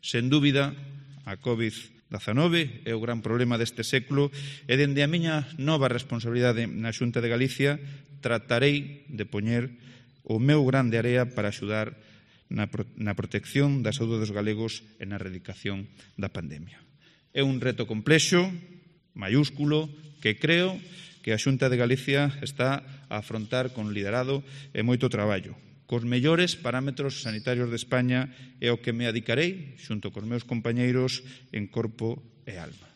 Sen dúbida, a COVID-19 é o gran problema deste século e dende a miña nova responsabilidade na Xunta de Galicia tratarei de poñer o meu grán de area para axudar na protección da saúde dos galegos e na erradicación da pandemia. É un reto complexo, maiúsculo, que creo que a Xunta de Galicia está a afrontar con liderado e moito traballo, cos mellores parámetros sanitarios de España e ao que me adicarei, xunto cos meus compañeiros, en corpo e alma.